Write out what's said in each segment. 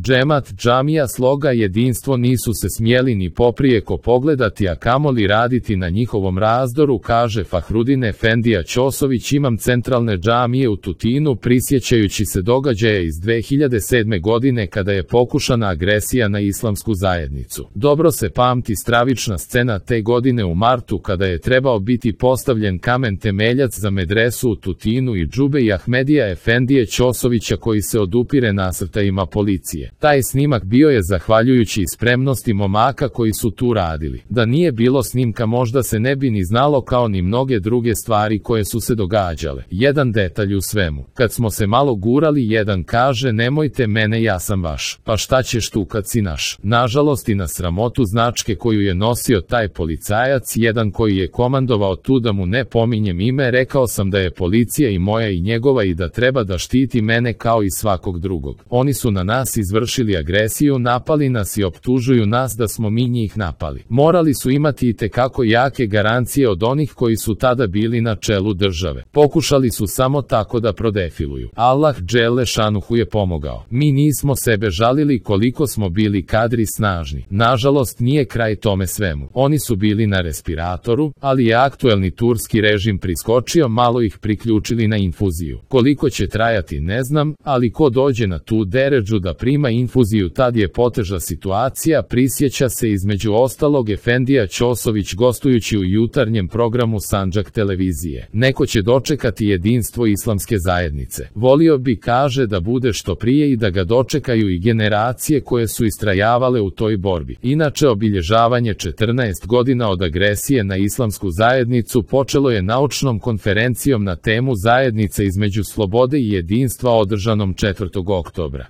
Džemat, džamija, sloga, jedinstvo nisu se smjeli ni poprijeko pogledati, a kamoli raditi na njihovom razdoru, kaže Fahrudin Efendija Ćosović, imam centralne džamije u Tutinu, prisjećajući se događaja iz 2007. godine kada je pokušana agresija na islamsku zajednicu. Dobro se pamti stravična scena te godine u martu kada je trebao biti postavljen kamen temeljac za medresu u Tutinu i džube i Ahmedija Efendije Ćosovića koji se odupire nasrtajima policije. Taj snimak bio je zahvaljujući spremnosti momaka koji su tu radili. Da nije bilo snimka možda se ne bi ni znalo kao ni mnoge druge stvari koje su se događale. Jedan detalj u svemu. Kad smo se malo gurali, jedan kaže nemojte mene, ja sam vaš. Pa šta ćeš tu kad si naš? Nažalost i na sramotu značke koju je nosio taj policajac, jedan koji je komandovao tu, da mu ne pominjem ime, rekao sam da je policija i moja i njegova i da treba da štiti mene kao i svakog drugog. Oni su na nas izvršili agresiju, napali nas i optužuju nas da smo mi njih napali. Morali su imati i tekako jake garancije od onih koji su tada bili na čelu države. Pokušali su samo tako da prodefiluju. Allah dželle šanuhu je pomogao. Mi nismo sebe žalili koliko smo bili kadri snažni. Nažalost nije kraj tome svemu. Oni su bili na respiratoru, ali je aktuelni turski režim priskočio, malo ih priključili na infuziju. Koliko će trajati ne znam, ali ko dođe na tu deređu da prima infuziju, tad je poteža situacija, prisjeća se između ostalog Efendija Ćosović gostujući u jutarnjem programu Sandžak televizije. Neko će dočekati jedinstvo islamske zajednice. Volio bi, kaže, da bude što prije i da ga dočekaju i generacije koje su istrajavale u toj borbi. Inače, obilježavanje 14 godina od agresije na islamsku zajednicu počelo je naučnom konferencijom na temu zajednice između slobode i jedinstva održanom 4. oktobra.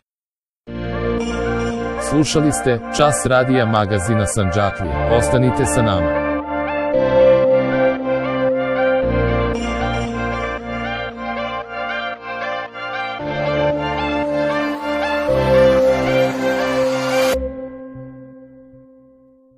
Slušali ste Čas radija magazina Sandžaklija. Ostanite sa nama.